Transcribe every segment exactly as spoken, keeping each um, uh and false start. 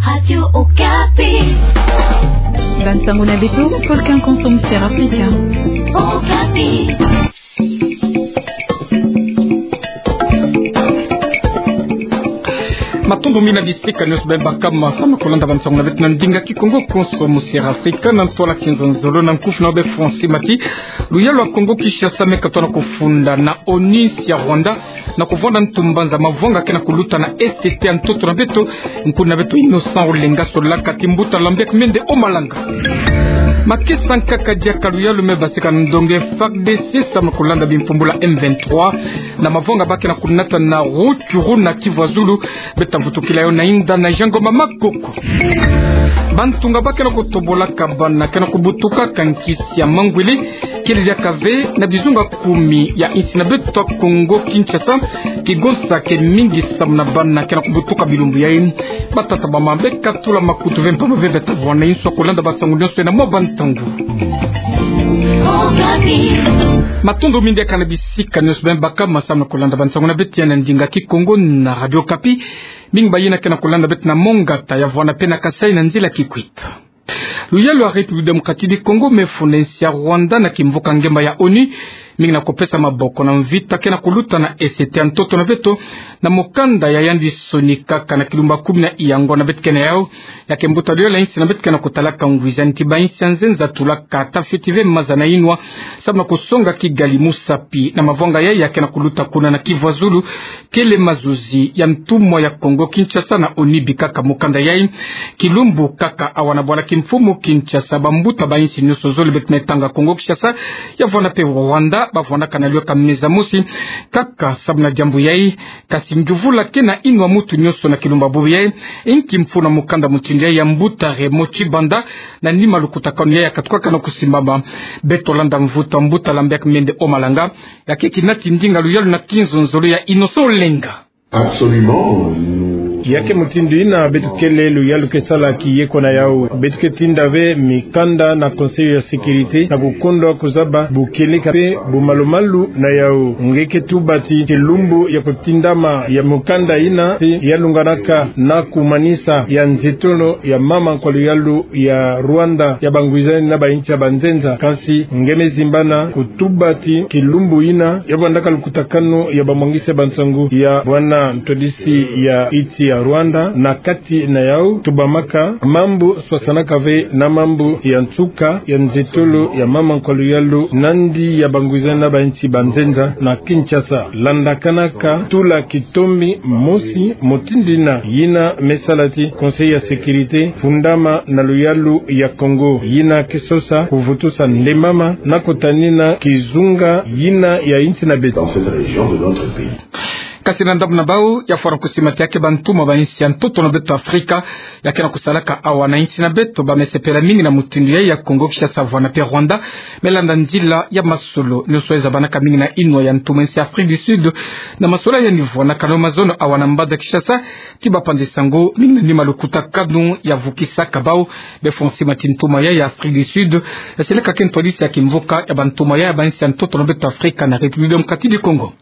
Radio Okapi. Bansango na beto, Volcan Konso Musière Africa. Okapi. Matondo mingi na bisika nyonso beno baka masa na kolanda bansango na beto na ndinga Kikongo, Konso Musière Africa, na ntwala kinzonzolo na nkufi na beno be Francis Mati. Luyalu ya Kongo Kinshasa me katoa na kofunda na ONU nsi ya Rwanda, na kovwanda ntu mbanza mavwanga ke na koluta na E C T ya ntoto na beto, nkundi na beto Innocent Olenga, solaka ti mbuta Lambert Mende Omalanga. Makesa nkaka diaka luyalu me basika na ndonge F A R D C samu na kolanda bimfumu bula M vingt-trois, na mavwanga ba ke na konata na Rutshuru na Kivu ya Zulu. Beto ta vutukila yo na inda na Jean Ngoma Makoko. Bantu nga ba ke na kotobolaka bana ke na kobutukaka nkisi ya mangwele, kele diaka ve na bizunga kumi ya insi na beto Kongo Kinshasa, kigonsa ke mingi samu na bana ke na kobutuka bilumbu yayi. Batata bamama, beka tula makutu ve mpamba ve, beta vwanda inso kolanda bansango nyonso na mwa bantangu. Matondo mingi diaka na bisika nyonso beno baka masa na kolanda bansango na beto ya na ndinga Kikongo na Radio Okapi. Mingi bayina ke na kolanda beto na Mongata, ya vwanda pe na Kasaï na nzila Kikwit. Luyalu ya République Démocratique du Congo me funda nsi ya Rwanda na kimvuka ngemba ya ONU, mingi na kopesa maboko na mvita ke na koluta na E C T ya ntoto na beto, na mokanda ya yandi sonikaka na kilumbu kumi na iyango na beto kena yau. Ya ke mbuta luyalu ya insi na beto ke na kotalaka ngwizani ti bainsi ya nzenza tulaka ta fiti ve maza na inwa, samu na kosonga Kigali musapi na mavwanga yayi ya ke na koluta kuna na Kivu ya Zulu, kele mazuzi ya ntumwa ya Kongo Kinshasa na ONU, bikaka mokanda yayi. Kilumbu kaka awa na bwala kimfumu Kinshasa, bambuta bainsi nyonso zole, beto me tanga Kongo Kinshasa, ya vwanda pe Rwanda, bavwandaka na lweka meza mosi kaka samu na diambu yayi. Kasi ngiuvula ke na inwa mutu nyonso na kilumbu bubu yayi. Inki mfunu na mokanda mutindu yayi ya mbuta Raymond Tshibanda, na nima lukutakanu yayi ya katukaka na kosimbama? Beto landa mvutu ya mbuta Lambert Mende Omalanga, ya ke kinati ndinga luyalu na kinzonzolo ya Innocent Olenga. Absolument, nous... Ya ke mutindu yina beto kele, luyalu ke sala kiyeko na yau. Beto ke tinda ve mikanda na Conseil ya Sécurité na kukondwa kuzaba bukeleka pe bumalumalu na yau. Nge ke tuba ti kilumbu ya kutindama ya mukanda yina ti ya lunganaka na kumanisa ya nzitolo ya mama nkwa luyalu ya Rwanda ya bangwizani na bainsi ya banzenza. Kansi nge me zimbana kutuba ti kilumbu yina ya vwandaka lukutakanu ya bamwangisi ya bansangu ya bwana ntwadisi ya insi ya Rwanda, na kati na yau tubamaka mambu swasanaka ve na mambu ya nsuka ya nzitolo ya mama nkwa luyalu nandi ya bangwizani na bainsi banzenza na Kinshasa. Landakanaka tula kitombi mosi mutindu yina, yina me sala ti Conseil ya Sécurité fundama na luyalu ya Kongo, yina ke sosa kuvutusa ndembama na kutanina kizunga yina ya insi na beto. Dans cette région de notre pays. Kasi na ndambu na bau, ya fwana kusimati ya ke bantumwa bainsi ya ntoto na beto Afrika ya ke na kusalaka awa na insi na beto, ba me sepela mingi na mutindu yayi ya Kongo Kinshasa vwanda pe Rwanda, me landa nzila ya masolo nyonso yayi zabanaka mingi na inwa ya ntumwa insi Afrique du Sud, na masolo yayi ni vwanakana mazono awa na mbanza Kinshasa, ti bapanzi sango mingi na nima lukutakanu ya vukisaka bau. Be fwana simati ntumwa yayi ya Afrique du Sud, ya seleka ke ntwadisi ya kimvuka ya bantumwa yayi ya bainsi ya ntoto na beto Afrika na République Démocratique du Congo.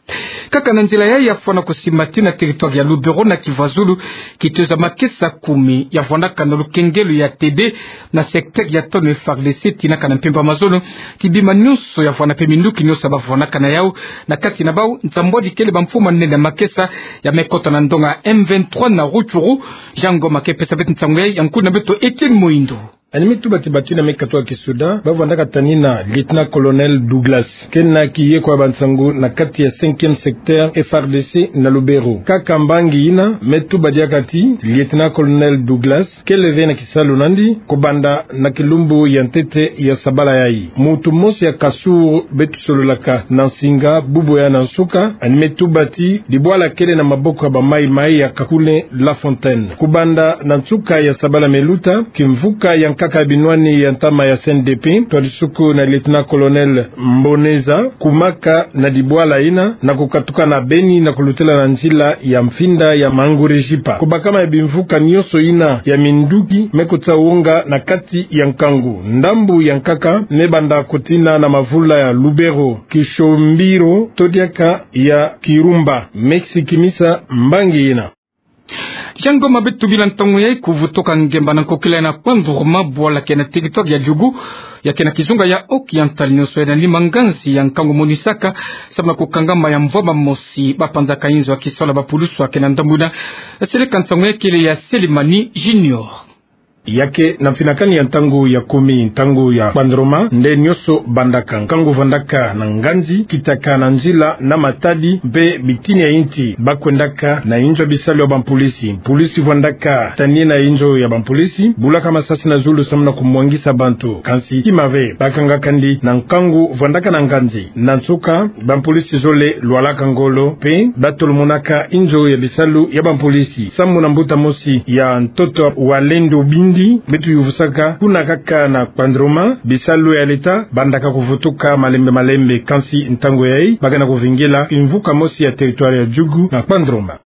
Kaka na nzila yayi ya fwana kusimati na territoire ya Lubero na Kivu ya Zulu, kitoza makesa kumi ya vwandaka na lukengelo ya T B na secteur ya tanu F A R D C tinaka na mpemba mazono, ti bima nyonso ya vwanda pe minduki nyonso ba vwandaka na yau, na kati na bau nsambwadi kele bamfumu manene ya makesa ya me kota na ndonga M vingt-trois na Rutshuru. Jean Ngoma ke pesa beto nsangu yayi, ya nkundi na beto Etienne Moindo. Yandi me tuba ti bato yina me katoka kisoda, ba vwandaka tanina lieutenant-colonel Douglas, kena kiyeko ya bansangu na kati ya cinquième secteur F R D C na Lubero. Kaka mbangi yina me tuba diaka ti lieutenant-colonel Douglas kele ve na kisalu nandi kubanda na kilumbu ya ntete ya sabala yayi. Mutu mosi ya Kasur beto sololaka na nsinga bubu ya na nsuka, yandi me tuba ti dibwala kele na maboko ya ba Mai-Mai ya Kakule-La Fontaine. Kubanda na nsuka ya sabala me luta, kimvuka ya nkaka ya binwani ya ntama ya C N D P, twadisuku na lieutenant-colonel Mboneza, kumaka na dibwala yina na kukatuka na Beni na kulutela na nzila ya mfinda ya Mangouré-Jipa. Kubakama ya bimvuka nyonso yina ya minduki me kutsa wonga na kati ya nkangu. Ndambu ya nkaka me banda kutina na mavula ya Lubero, Kishombiro, to diaka ya Kirumba. Me sikimisa mbangi yina. Yangoma beto bila ntangu yai kuvutuka ngemba na nkokila na Kpanduruma, bwala ke na territoire ya Djugu, ya ke na kizunga ya Oriental, nyoso ya nani manganzi ya nkangu monisaka, samu na kukangama ya mvwama mosi, bapanzaka inzo ya kisalu ya bapulusu ya ke na ndambu ina. Seleka ntangu yai kele ya Selimani Junior. Ya ke na mfinakani ya ntangu ya kumi, ntangu ya Kpanduruma, nde nyoso bandaka. Nkangu vandaka na nganzi, kitaka na nzila na matadi, mpe bitini ya inti bakwendaka na inzo ya bisalu ya bampulisi. Mpulisi vandaka tanie na inzo ya bampulisi, bulaka masasi na zulu samu na kumwangisa bantu. Kansi kima ve, bakanga kandi na nkangu vandaka na nganzi. Na nsuka, bampulisi zole lwalaka ngolo, mpe batolomonaka inzo ya bisalu ya bampulisi. Samu na mbuta mosi ya ntoto Walendu Bindi, beto yuvusaka kuna kaka na Kpanduruma, bisalu ya leta bandaka kuvutuka malembe malembe, kansi ntangu yai, ba ke na kuvingila kimvuka mosi ya territoire ya Djugu na Kpanduruma.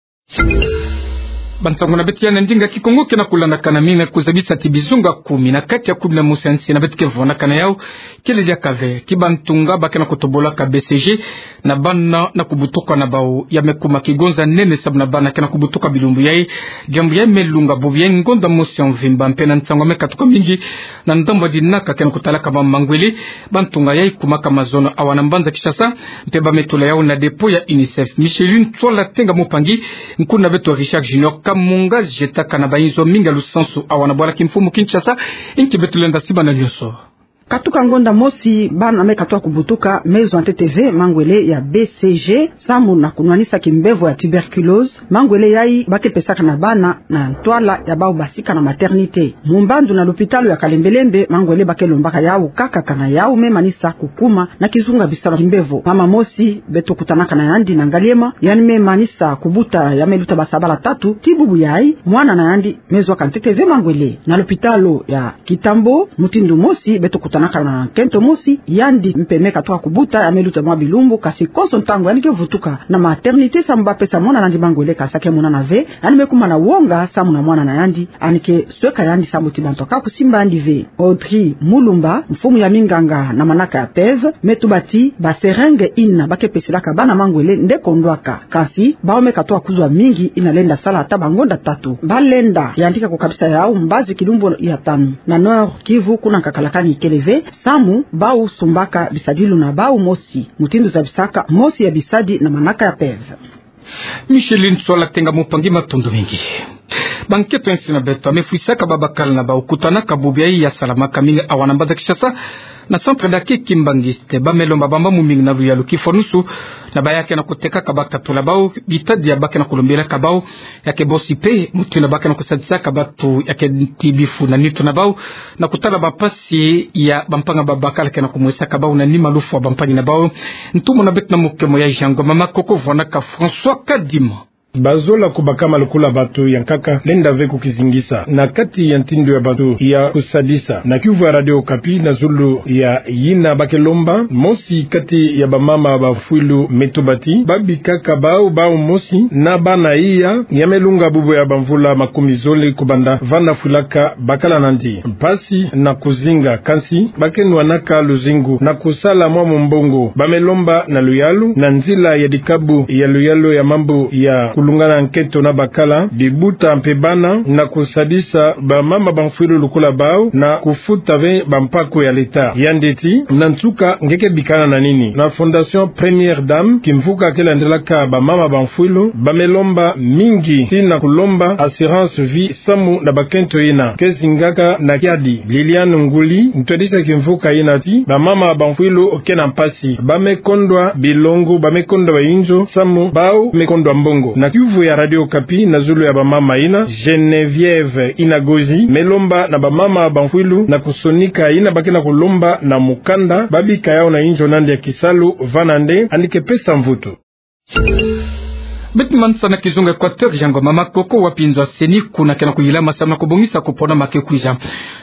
Bantangu na beto ya na ndinga Kikongo ke na kulandakana, mi na kuzabisa ti bizunga kumi na kati ya kumi na mosi ya nsi na beto ke vunakana yau, kele diaka ve ti bantunga ba ke na kutobolaka B C G na bana na kubutuka na bau, ya me kuma kigonza nene samu na bana ke na kubutuka bilumbu yai. Diambu yai me lunga bubu yai ngonda mosi ya mvimba, mpe na ntangu me katuka mingi na ndambu ya dinaka ke na kutalaka ba mangwele. Bantunga yai kumaka mazono awa na mbanza Kinshasa, mpe ba me tula yau na dépôt ya UNICEF. Micheline Tsola Tenga Mopangi, nkuna beto Richard Junior Kamunga, jetaka na bainzo mingi ya lusansu awa na bwala kimfumu Kinshasa, inki beto lenda siba na nyoso. Katuka ngonda mosi, bana me katuka kubutuka, me zwa ntete ve mangwele ya B C G, samu na kunwanisa kimbevo ya tuberculose. Mangwele yai ba ke pesaka na bana na ntwala ya bau basika na maternité. Mu mbandu na lopitalo ya Kalembelembe, mangwele ba ke lombaka yau kaka, kana yau me manisa kukuma na kizunga bisalu ya kimbevo. Mama mosi beto kutanaka na yandi na Ngaliema, yandi me manisa kubuta, ya me luta basabala tatu, ti bubu yai mwana na yandi me zwaka ntete ve mangwele. Na lopitalo ya Kitambo, mutindu mosi beto kutanaka na nkento mosi, yandi mpe me katuka kubuta, ya me luta mwa bilumbu, kasi konso ntangu yandi ke vutuka na maternité samu ba pesa mwana na yandi mangwele, kasi a ke monana ve. Yandi me kuma na wonga samu na mwana na yandi, yandi ke sweka yandi samu ti bantu ka kusimba yandi ve. Audrey Mulumba, mfumu ya minganga na manaka ya PEV, me tuba ti ba seringue ina ba ke peselaka bana mangwele nde kondwaka. Kasi bau me katuka kuzwa mingi, ina lenda sala ata bangonda tatu. Ba lenda yandika kukabisa yau mbazi kilumbu ya tanu. Na Nord Kivu, kuna nkakalakani kele ve, samu bau sumbaka bisadilu na bau mosi, mutindu zabisaka mosi ya bisadi na manaka ya PEV. Micheline Tsola Tenga Mopangi, matondo mingi. Bankento ya nsi na beto ya me fwisaka babakala na bau kutanaka bubu yai ya salamaka mingi awa na mbanza Kinshasa, na Centre d'accueil Kimbanguiste, ba me lomba bambambu mingi na luyalu, kifwanusu na baya ke na kutekaka bakatula bau, bitadi ya ba ke na kulombilaka bau. Ya ke bosi mpe mutindu ba ke na kusadisaka bantu ya ke nti bifu na nitu na bau, na kutala bampasi ya bampanga babakala ke na kumwesaka bau na nima lufwa bampangi na bau. Ntumwa na beto na mukemo ya Yangoma Makoko, vwanaka François Kadima. Bazola kubakama lukula bantu ya nkaka, lenda ve kukizingisa na kati ya ntindu ya bantu ya kusadisa. Na kiuvu ya Radio Okapi, na zulu ya yina ba ke lomba, mosi kati ya bamama bamfwilu me tuba ti babikaka bau, bau mosi na bana iya, ya me lunga bubu ya bamvula makumi zole kubanda vanda fwilaka bakala nandi. Mpasi na kuzinga, kansi ba ke nwanaka luzingu na kusala mwa mumbongo. Ba me lomba na luyalu, na nzila ya dikabu ya luyalu ya mambu ya kulungana nkento na bakala, bibuta mpe bana, na kusadisa bamama bamfwilu lukula bau na kufuta ve bampaku ya leta. Yandi ti, na nsuka, nge ke bikana na nini? Na Fondation Première Dame, kimvuka ke landelaka bamama bamfwilu, ba me lomba mingi, ti na kulomba assurance vie samu na bakento yina ke zingaka na kiadi. Liliane Nguli, ntwadisi ya kimvuka yina ti, bamama bamfwilu ke na mpasi. Ba me kondwa bilongo, ba me kondwa bainzo, samu bau me kondwa mbongo. Na kiuvu ya Radio Okapi, na zulu ya bamama yina, Geneviève Inagozi me lomba na bamama bamfwilu na kusonika yina ba ke na kulomba na mukanda, babika yau na inzo nandi ya kisalu, vana nde yandi ke pesa mvutu. Beto manisa na kizunga Équateur, Yangoma Makoko, wapi nzo ya CENI kuna ke na kuyilama samu na kubongisa kupona ma ke kwiza.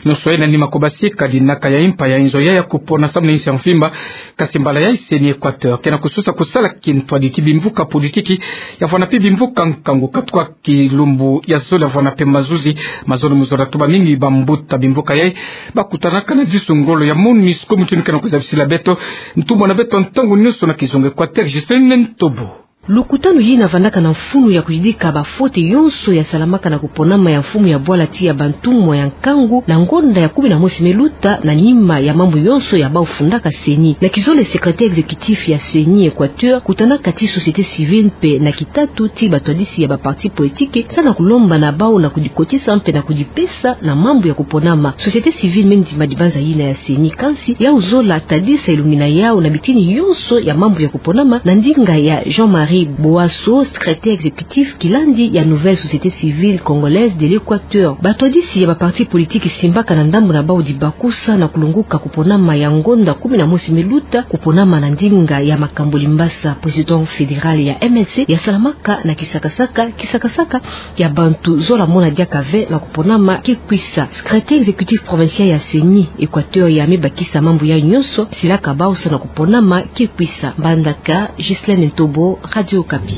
Nyoso yai na nima kubasika dinaka ya impa ya inzo yai ya kupona samu na insi ya mvimba. Kasi mbala yai CENI Équateur ke na kususa kusala kintwadi ti bimvuka politiki, ya vwanda mpe bimvuka nkangu, katuka kilumbu ya zole ya vwanda mpe mazuzi. Mazono mu zola tuba mingi bambuta bimvuka yai ba kutanaka na disu ngolo ya MONUSCO, mutindu ke na kuzabisila beto ntumwa na beto ntangu nyoso na kizunga Équateur, Justine Ntobo. Lukutanu yina vandaka na mfunu ya kuyidika ba faute yonso ya salamaka na kuponama ya mfumu ya bwala ti ya bantumwa ya nkangu na ngonda ya kumi na mosi me luta, na nima ya mambu yonso ya bau fundaka CENI. Na kizole, secrétaire exécutif ya CENI Équateur kutanaka ti société civile mpe na kitatu ti batwadisi ya ba parti politique, sa na kulomba na bau na kudikotisa mpe na kudipesa na mambu ya kuponama. Société civile me ndima dibanza yina ya CENI, kansi yau zola tadisa elungi na yau na bitini yonso ya mambu ya kuponama, na ndinga ya Jean-Marie Boasso, secrétaire exécutif kilandi ya Nouvelle Société Civile Congolaise de l'Équateur. Batwadisi ya ba parti politique simbaka na ndambu na bau dibakusa na kulunguka kuponama ya ngonda kumi na mosi me luta, kuponama na ndinga ya Makambo Limbasa, président fédéral ya MLC, ya salamaka na kisakasaka, kisakasaka ya bantu zola mona diaka ve na kuponama ke kwisa. Secrétaire exécutif provincial ya CENI Équateur ya me bakisa mambu ya yonso silaka bau sa na kuponama ke kwisa. Mbandaka, Ghislaine Ntobo, Radio Okapi.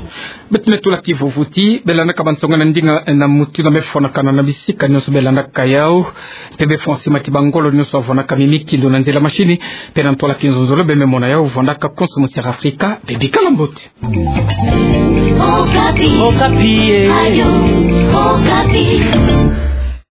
Beto me tula kivuvu ti belandaka bansonga na ndinga na muti na me fwanakana na bisika nyonso belandaka yau. Mpe befwa nsi mati bangolo nyonso bafwanaka mimi kindo na nzila mashini. Mpe na ntwala kinzonzolo be me mona yau vandaka konso muti'Afrika. Mpe bikala mbote. Okapi. Okapi, eh. Radio Okapi.